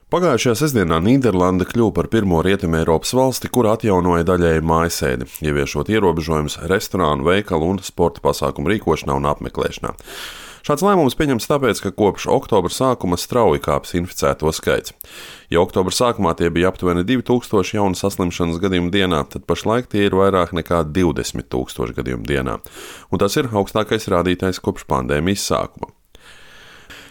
Pagājušajā sestdienā Nīderlande kļuva par pirmo Rietumeiropas valsti, kur atjaunoja daļēji mājasēdi, ieviešot ierobežojumus restorānu, veikalu un sporta pasākumu rīkošanā un apmeklēšanā. Šāds lēmums pieņemts tāpēc, ka kopš oktobra sākuma strauji kāpis inficēto skaits. Ja oktobra sākumā tie bija aptuveni 2000 jaunu saslimšanas gadījumu dienā, tad pašlaik tie ir vairāk nekā 20 000 gadījumu dienā. Un tas ir augstākais rādītājs kopš pandēmijas sākuma.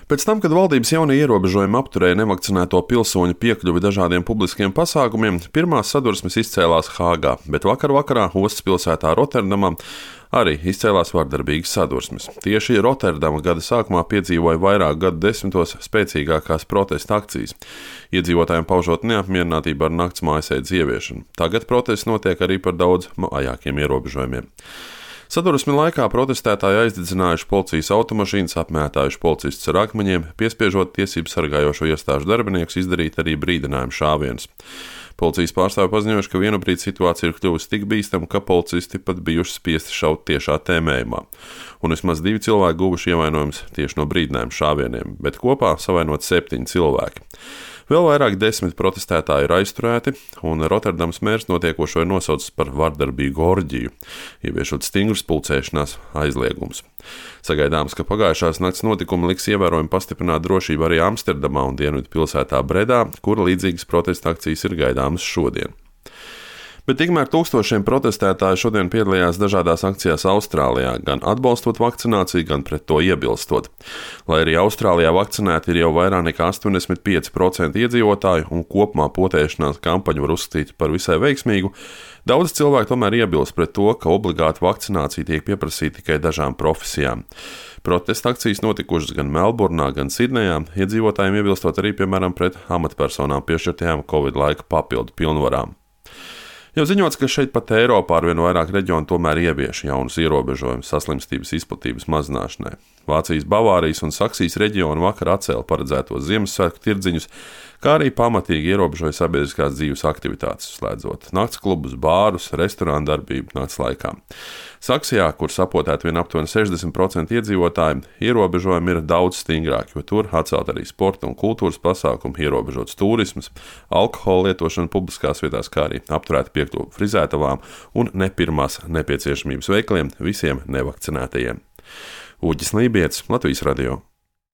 Pēc tam, kad valdības jaunie ierobežojumi apturēja nevakcinēto pilsoņu piekļuvi dažādiem publiskiem pasākumiem, pirmās sadursmes izcēlās Hāgā, bet vakarā ostas pilsētā Rotterdamā arī izcēlās vardarbīgas sadursmes. Tieši Rotterdama gada sākumā piedzīvoja vairāk gadu desmitos spēcīgākās protesta akcijas, iedzīvotājiem paužot neapmierinātību ar nakts mājasēdes ieviešanu. Tagad protests notiek arī par daudz vājākiem ierobežojumiem. Sadursmi laikā protestētāji aizdedzinājuši policijas automašīnas, apmētājuši policistus ar akmeņiem, piespiežot tiesību sargājošo iestāžu darbiniekus izdarīt arī brīdinājumu šāvienus. Policijas pārstāvji paziņojuši, ka vienbrīd situācija ir kļuvusi tik bīstama, ka policisti pat bijuši spiesti šaut tiešā tēmējumā. Un vismaz 2 cilvēki guvuši ievainojumus tieši no brīdinājumu šāvieniem, bet kopā savainot 7 cilvēki. Vēl vairāk 10 protestētāji ir aizturēti, un Rotterdamas mērs notiekošo ir nosaucis par vardarbīgu orģiju, ieviešot stingrus pulcēšanās aizliegumus. Sagaidāms, ka pagājušās nakts notikumi liks ievērojami pastiprināt drošību arī Amsterdamā un dienvidu pilsētā Bredā, kur līdzīgas protesta akcijas ir gaidāmas šodien. Bet tikmēr tūkstošiem protestētāju šodien piedalījās dažādās akcijās Austrālijā, gan atbalstot vakcināciju, gan pret to iebilstot. Lai arī Austrālijā vakcinēti ir jau vairāk nekā 85% iedzīvotāju un kopumā potēšanās kampaņu var uzskatīt par visai veiksmīgu, daudz cilvēku tomēr iebilst pret to, ka obligāta vakcinācija tiek pieprasīta tikai dažām profesijām. Protesta akcijas notikušas gan Melburnā, gan Sidnejā, iedzīvotājiem iebilstot arī, piemēram, pret amatpersonām piešķirtajām Covid laika papildu pilnvarām. Jau ziņots, ka šeit pat Eiropā arvien vairāk reģionu tomēr ievieš jaunus ierobežojumus saslimstības izplatības mazināšanai. Vācijas, Bavārijas un Saksijas reģioni vakar atcēla paredzētos Ziemassvētku tirdziņus, kā arī pamatīgi ierobežoja sabiedriskās dzīves aktivitātes, slēdzot naktsklubus, bārus, restorānu darbību nakts laikā. Saksijā, kur sapotēti vien aptuveni 60% iedzīvotāji, ierobežojumi ir daudz stingrāki, jo tur atcelt arī sporta un kultūras pasākumi, ierobežots turisms, alkohola lietošana publiskās vietās, kā arī apturēta piekļuve frizētavām un nepirmās nepieciešamības veikaliem visiem nevakcinētajiem. Uģis Lībietis, Latvijas radio.